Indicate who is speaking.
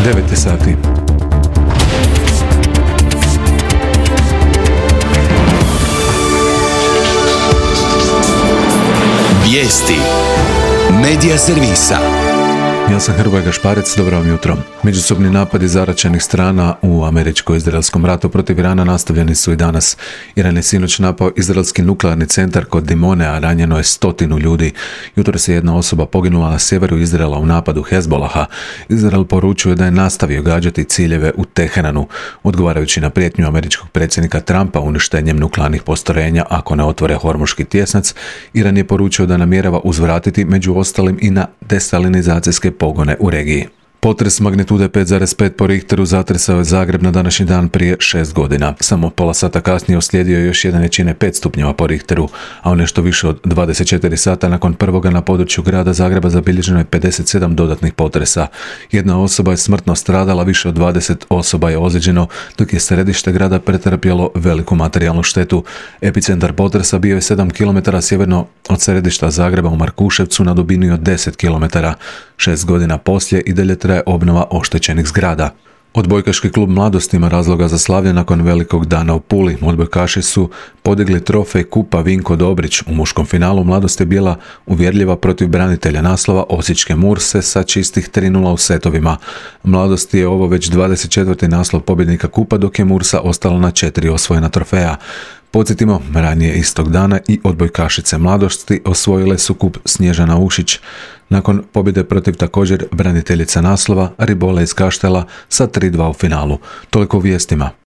Speaker 1: 9 sati.
Speaker 2: Vijesti Medija servisa.
Speaker 1: Ja sam Hrvoje Gašparec, dobro vam jutro. Međusobni napadi zaraćenih strana u američko-izraelskom ratu protiv Irana nastavljeni su i danas. Iran je sinoć napao izraelski nuklearni centar kod Dimone, a ranjeno je 100 ljudi. Jutros je jedna osoba poginula na sjeveru Izraela u napadu Hezbolaha. Izrael poručuje da je nastavio gađati ciljeve u Teheranu, odgovarajući na prijetnju američkog predsjednika Trumpa uništenjem nuklearnih postrojenja ako ne otvore Hormuški tjesnac. Iran je poručio da namjerava uzvratiti među ostalim i na desalinizacijske pogone u regiji. Potres magnitude 5,5 po Richteru zatresao je Zagreb na današnji dan prije 6 godina. Samo pola sata kasnije uslijedio je još jedan jačine 5 stupnjeva po Richteru, a u nešto više od 24 sata nakon prvoga na području grada Zagreba zabilježeno je 57 dodatnih potresa. Jedna osoba je smrtno stradala, više od 20 osoba je ozlijeđeno, dok je središte grada pretrpjelo veliku materijalnu štetu. Epicentar potresa bio je 7 km sjeverno od središta Zagreba u Markuševcu na dubini od 10 km. 6 godina poslije i dalje traje obnova oštećenih zgrada. Odbojkaški klub Mladost ima razloga za slavlje nakon velikog dana u Puli. Odbojkaši su podigli trofej kupa Vinko Dobrić. U muškom finalu Mladost je bila uvjerljiva protiv branitelja naslova Osječke Murse sa čistih 3:0 u setovima. Mladost je ovo već 24. naslov pobjednika kupa, dok je Mursa ostala na 4 osvojena trofeja. Podsjetimo, ranije istog dana i odbojkašice Mladosti osvojile su kup Snježana Ušić nakon pobjede protiv također braniteljica naslova Ribola iz Kaštela sa 3:2 u finalu. Toliko u vijestima.